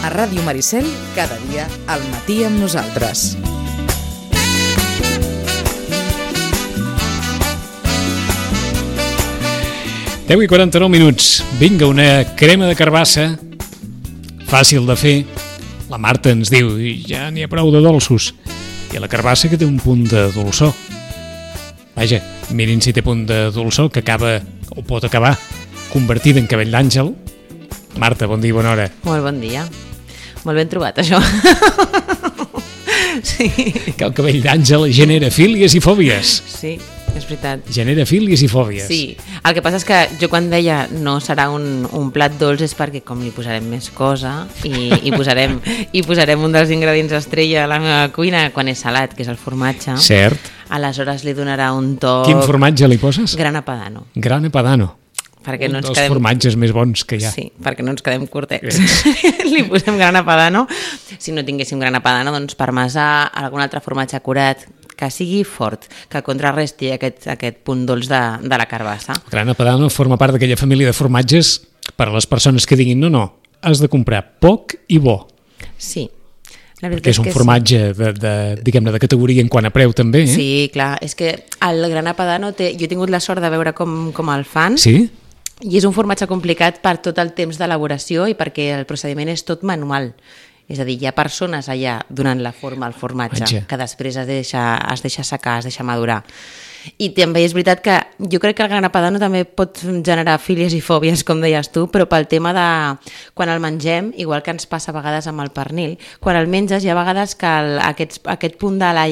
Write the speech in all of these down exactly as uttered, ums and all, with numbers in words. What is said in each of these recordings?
A Ràdio Maricel, cada dia al matí amb nosaltres. deu i quaranta-nou minuts. Vinga, una crema de carbassa, fàcil de fer. La Marta ens diu, ja n'hi ha prou de dolços. I la carbassa que té un punt de dolçor. Vaja, mirin si té punt de dolçor, que acaba, o pot acabar, convertida en cabell d'àngel. Marta, bon dia, bona hora. Molt bon dia. Molt ben trobat, això. Sí. Que el cabell d'àngel genera fílies i fòbies. Sí, és veritat. Genera fílies i fòbies. Sí, el que passa és que jo quan deia no serà un, un plat dolç és perquè com li posarem més cosa i, i, posarem, i posarem un dels ingredients estrella a la meva cuina quan és salat, que és el formatge. Cert. Aleshores li donarà un toc... Quin formatge li poses? Grana Padano. Grana Padano. Perquè un no ens dels quedem... formatges més bons que hi ha. Sí, perquè no ens quedem curtets. Li posem grana Padano. Si no tinguéssim grana Padano, doncs parmesà, algun altre formatge curat, que sigui fort, que contrarresti aquest, aquest punt dolç de, de la carbassa. Grana Padano forma part d'aquella família de formatges per a les persones que diguin no, no, has de comprar poc i bo. Sí. La perquè és un és formatge sí. de, de, diguem-ne, de categoria en quant a preu també. Eh? Sí, clar, és que el grana Padano té... Jo he tingut la sort de veure com, com el fan. Sí? I és un formatge complicat per tot el temps d'elaboració i perquè el procediment és tot manual. És a dir, hi ha persones allà donant la forma al formatge, Vaja. que després es deixa, es deixa secar, es deixa madurar. I també és veritat que jo crec que el grana Padano també pot generar fílies i fòbies, com deies tu, però pel tema de quan el mengem, igual que ens passa a vegades amb el pernil, quan el menges hi ha vegades que el, aquest, aquest punt de la...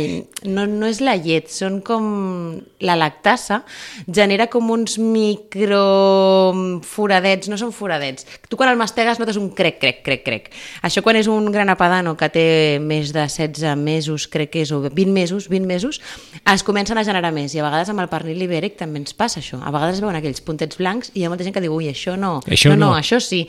No, no és la llet, són com la lactasa, genera com uns microforadets, no són foradets. Tu quan el mastegues notes un crec, crec, crec, crec. Això quan és un grana Padano que té més de setze mesos, crec que és, o vint mesos, vint mesos, es comencen a generar més. I a vegades amb el pernil ibèric també ens passa això. A vegades es veuen aquells puntets blancs i hi ha molta gent que diu, ui, això no, això no, no, no, això sí.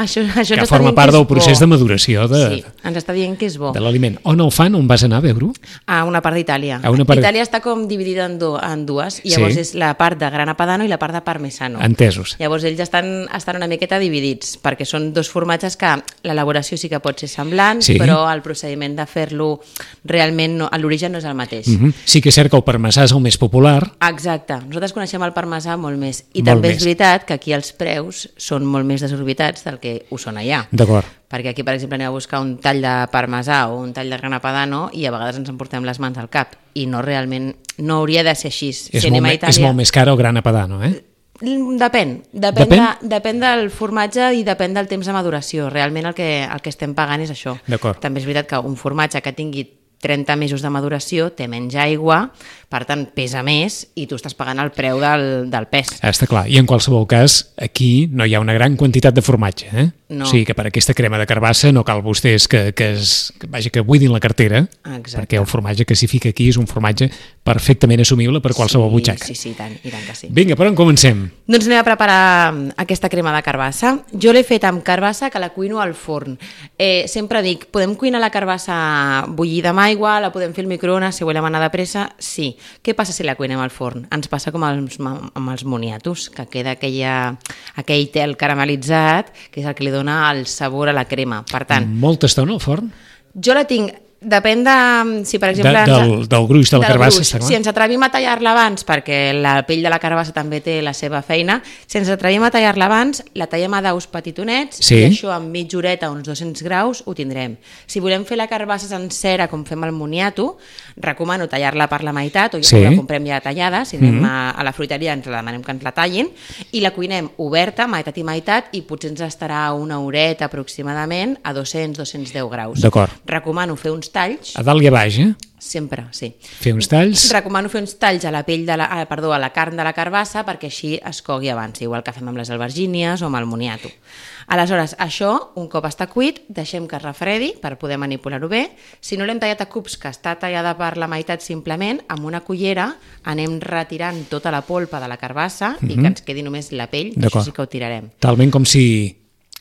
això, això que forma part del procés de maduració de, sí, ens està dient que és bo. de l'aliment. On el fan? On vas anar a veure-ho? A una part d'Itàlia. A una part... Itàlia està com dividida en, do, en dues, i llavors sí. és la part de grana Padano i la part de parmesano. Entesos. Llavors ells estan, estan una miqueta dividits, perquè són dos formatges que l'elaboració sí que pot ser semblant, sí. però el procediment de fer-lo realment, no, l'origen no és el mateix. Mm-hmm. Sí que és cert que el parmesà és el més popular. Exacte. Nosaltres coneixem el parmesà molt més. I molt també més. És veritat que aquí els preus són molt més desorbitats del que ho són allà. D'acord. Perquè aquí, per exemple, anem a buscar un tall de parmesà o un tall de grana Padano i a vegades ens emportem les mans al cap. I no realment, no hauria de ser així. És, si molt, me, Itàlia... és molt més car el grana Padano, eh? Depèn. Depèn, depèn? de, depèn del formatge i depèn del temps de maduració. Realment el que, el que estem pagant és això. D'acord. També és veritat que un formatge que tingui trenta mesos de maduració té menys aigua, per tant pesa més i tu estàs pagant el preu del, del pes. Està clar, i en qualsevol cas aquí no hi ha una gran quantitat de formatge, eh? No. O sigui que per aquesta crema de carbassa no cal vostès que, que, es, que, vaja, que buidin la cartera. Exacte. Perquè el formatge que s'hi fica aquí és un formatge perfectament assumible per qualsevol sí, butxaca. Sí, sí, tant, i tant que sí. Vinga, per on comencem? Doncs anem a preparar aquesta crema de carbassa. Jo l'he fet amb carbassa que la cuino al forn. Eh, sempre dic, podem cuinar la carbassa bullida amb aigua, la podem fer al microones si volem anar de pressa? Sí. Què passa si la cuinem al forn? Ens passa com els, amb els moniatos, que queda aquella, aquell tel caramelitzat, que és el que li dona el sabor a la crema. Per tant... Molta estona al forn? Jo la tinc... Depèn de, si per exemple... De, del, del gruix de la carbassa, està clar. Si ens atrevim a tallar-la abans, perquè la pell de la carbassa també té la seva feina, si ens atrevim a tallar-la abans, la tallem a daus petitonets, sí. I això amb mitja horeta, uns dos-cents graus, ho tindrem. Si volem fer la carbassa sencera, com fem el moniato, recomano tallar-la per la meitat, o ja sí. La comprem ja tallada, si anem mm-hmm. a, a la fruiteria ens la demanem que ens la tallin, i la cuinem oberta, meitat i meitat, i potser ens estarà una horeta aproximadament a dos-cents a dos-cents deu graus. D'acord. Recomano fer uns talls. A dalt i a baix, eh? Sempre, sí. Fer uns talls. Recomano fer uns talls a la pell de la, ah, perdó, a la carn de la carbassa perquè així es cogui abans, igual que fem amb les albergínies o amb el moniato. Aleshores, això, un cop està cuit, deixem que es refredi per poder manipular-ho bé. Si no l'hem tallat a cubs, que està tallada per la meitat simplement, amb una cullera anem retirant tota la polpa de la carbassa mm-hmm. i que ens quedi només la pell, això sí que ho tirarem. Talment com si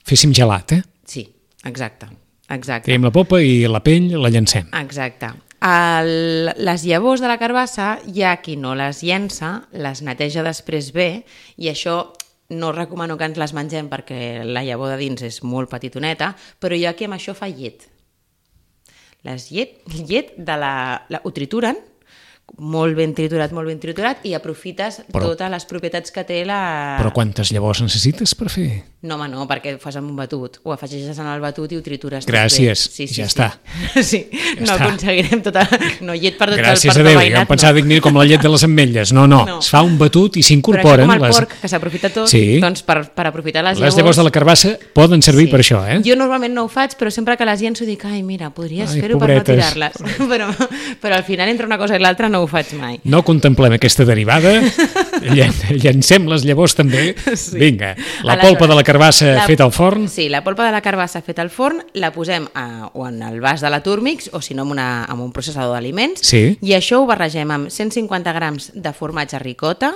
féssim gelat, eh? Sí, exacte. Exacte. Tenim la polpa i la pell la llancem. Exacte. El, les llavors de la carbassa, hi ha qui no les llença, les neteja després bé, i això no recomano que ens les mengem perquè la llavor de dins és molt petitoneta, però jo aquí amb això fa llet. Les llet, llet de la, la, ho trituren, molt ben triturat, molt ben triturat, i aprofites però, totes les propietats que té la... Però quantes llavors necessites per fer? No, home, no, perquè ho fas amb un batut. Ho afegeixes en el batut i ho tritures. Gràcies, sí, sí, ja sí. està. Sí, ja no està. Aconseguirem tota... No, llet per tot Gràcies el a Déu, veïnat, jo em pensava, no. Dic, com la llet de les ametlles. No, no, no, es fa un batut i s'incorporen... Però això com el les... porc, que s'aprofita tot, sí. Doncs per, per aprofitar les, les llavors... Les llavors de la carbassa poden servir sí. per això, eh? Jo normalment no ho faig, però sempre que les llenço dic, ai, mira, podries fer-ho per no tirar-les. però, però al final, entre una cosa i l'altra, no ho faig mai. No contemplem aquesta derivada, llancem les llavors també. Sí. Vinga, la Aleshores, polpa de la carbassa la, feta al forn. Sí, la polpa de la carbassa feta al forn la posem a, o en el vas de la Turmix o si no en, una, en un processador d'aliments sí. i això ho barregem amb cent cinquanta grams de formatge ricota.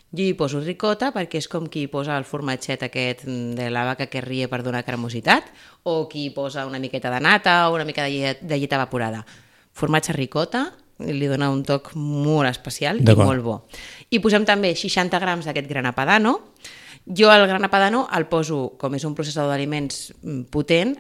Jo hi poso ricota perquè és com qui posa el formatget aquest de la vaca que rie per donar cremositat o qui posa una miqueta de nata o una mica de llet, de llet evaporada. Formatge ricota li dona un toc molt especial i molt bo. I posem també seixanta grams d'aquest grana padano. Jo el grana padano el poso, com és un processador d'aliments potent,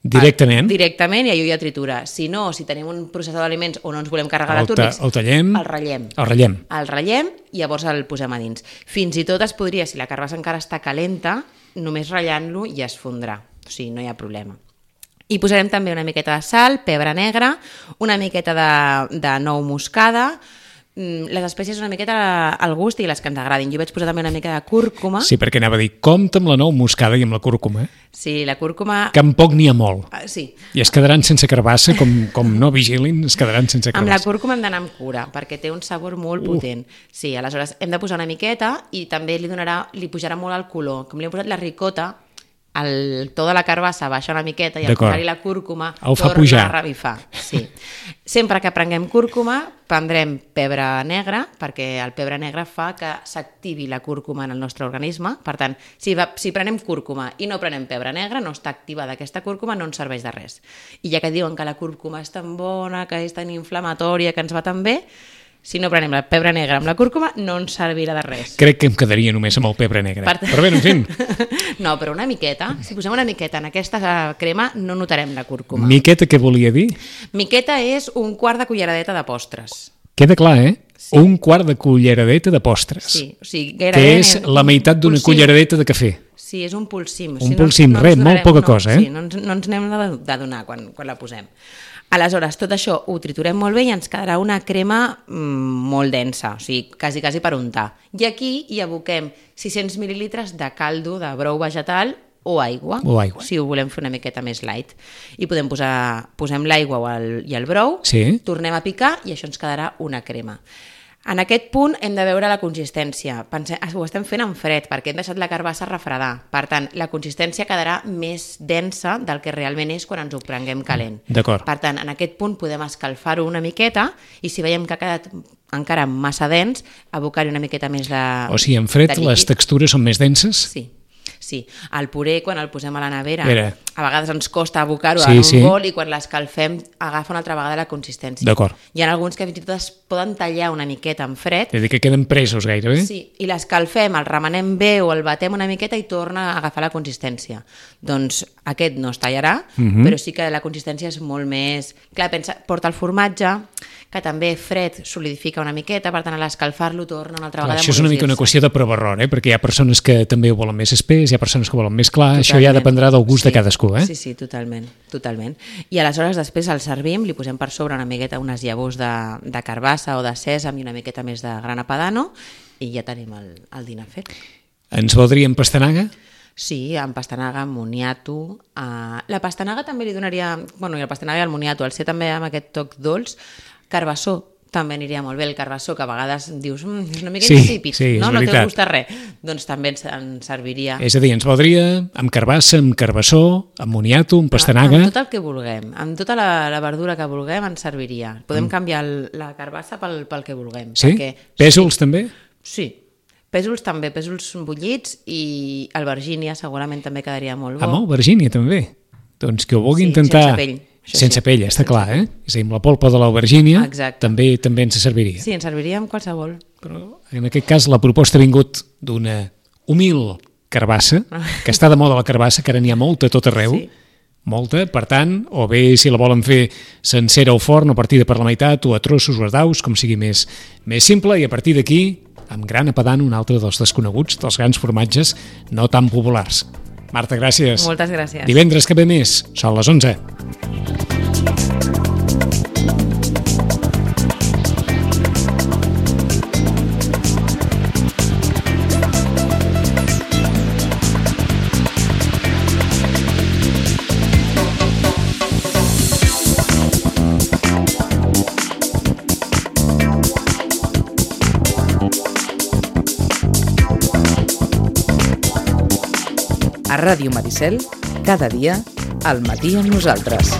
directament. El, directament i allò ja tritura. Si no, si tenim un processador d'aliments o no ens volem carregar el la Turmix, el tallem, el ratllem. El ratllem. El ratllem i llavors el posem a dins. Fins i tot es podria, si la carbassa encara està calenta, només ratllant-lo ja es fondrà. O sigui, no hi ha problema. I posarem també una miqueta de sal, pebre negre, una miqueta de, de nou moscada, les espècies una miqueta al gust i les que ens agradin. Jo vaig posar també una mica de cúrcuma. Sí, perquè anava a dir, compta amb la nou moscada i amb la cúrcuma. Sí, la cúrcuma... Que en poc n'hi ha molt. Uh, sí. I es quedaran sense carbassa, com, com no vigilin, es quedaran sense carbassa. Amb la cúrcuma hem d'anar amb cura, perquè té un sabor molt uh. potent. Sí, aleshores hem de posar una miqueta i també li donarà, li pujarà molt el color. Com li hem posat la ricota, el to de la carbassa baixa una miqueta i al posar-hi la cúrcuma torna a revifar. Sí. Sempre que prenguem cúrcuma prendrem pebre negre perquè el pebre negre fa que s'activi la cúrcuma en el nostre organisme. Per tant, si, va, si prenem cúrcuma i no prenem pebre negre, no està activada aquesta cúrcuma, no ens serveix de res. I ja que diuen que la cúrcuma és tan bona, que és tan inflamatòria, que ens va tan bé, si no prenem el pebre negre amb la cúrcuma, no ens servirà de res. Crec que em quedaria només amb el pebre negre. Per... Però bé, en fi. No, però una miqueta. Si posem una miqueta en aquesta crema, no notarem la cúrcuma. Miqueta, què volia dir? Miqueta és un quart de culleradeta de postres. Queda clar, eh? Sí. Un quart de culleradeta de postres. Sí, o sigui, gairebé... Que és la meitat d'una culleradeta de cafè. Sí, és un polsim. Un si polsim, no, res, no molt poca no, cosa, eh? Sí, no ens, no ens n'hem d'adonar quan, quan la posem. Aleshores, tot això ho triturem molt bé i ens quedarà una crema mmm, molt densa, o sigui, quasi, quasi per untar. I aquí hi aboquem sis-cents mil·lilitres de caldo de brou vegetal o aigua, o aigua, si ho volem fer una miqueta més light. I podem posar, posem l'aigua i el brou, sí. Tornem a picar i això ens quedarà una crema. En aquest punt hem de veure la consistència. Pensem, ho estem fent en fred perquè hem deixat la carbassa refredar. Per tant, la consistència quedarà més densa del que realment és quan ens ho prenguem calent. D'acord. Per tant, en aquest punt podem escalfar-ho una miqueta i si veiem que ha quedat encara massa dens, abocar-hi una miqueta més de O sigui, en fred les textures són més denses? Sí. Sí, el puré quan el posem a la nevera Vera. a vegades ens costa abocar-ho sí, en un sí. bol i quan l'escalfem agafa una altra vegada la consistència. D'acord. Hi ha alguns que fins i tot es poden tallar una miqueta en fred. És a dir, que queden presos gairebé. Sí, i l'escalfem, el remenem bé o el batem una miqueta i torna a agafar la consistència. Doncs aquest no es tallarà, uh-huh. però sí que la consistència és molt més... Clar, pensa, porta el formatge, que també fred solidifica una miqueta, per tant a l'escalfar-lo torna una altra clar, vegada a això és una mica una qüestió de prova error, eh? Perquè hi ha persones que també ho volen més espès, hi ha persones que ho volen més clar, totalment. Això ja dependrà del gust sí, de cadascú, eh? Sí, sí, totalment, totalment. I aleshores després el servim, li posem per sobre una miqueta unes llavors de, de carbassa o de sèsam i una miqueta més de grana padano i ja tenim el, el dinar fet. Ens voldria amb pastanaga? Sí, amb pastanaga, amb moniato. Uh, la pastanaga també li donaria... Bueno, i el pastanaga i el moniato, al ser també amb aquest toc dolç, carbassó també aniria molt bé, el carbassó, que a vegades dius mm, és una mica sí, insípid, sí, no, no veritat. te gusta res, doncs també ens, ens serviria. És a dir, ens voldria amb carbassa, amb carbassó, amb moniato, amb pastanaga... Amb tot el que vulguem, amb tota la, la verdura que vulguem ens serviria. Podem mm. canviar el, la carbassa pel, pel que vulguem. Sí? Perquè, pèsols sí, també? Sí, pèsols també, pèsols bullits i albergínia segurament també quedaria molt bo. Ah, molt, albergínia també. Doncs que ho vulgui sí, intentar... sense pell. Això sense sí. pell, està sense clar, eh? És a dir, amb la polpa de l'aubergínia també, també ens serviria. Sí, ens serviria amb qualsevol. Però en aquest cas la proposta ha vingut d'una humil carbassa, que està de moda la carbassa, que ara n'hi ha molta a tot arreu, Sí. molta, per tant, o bé si la volen fer sencera al forn o partida per la meitat, o a trossos o a daus, com sigui més, més simple, i a partir d'aquí, amb gran apadant, un altre dels desconeguts, dels grans formatges no tan populars. Marta, gràcies. Moltes gràcies. Divendres que ve més, són les onze. A Ràdio Maricel, cada dia, al matí amb nosaltres.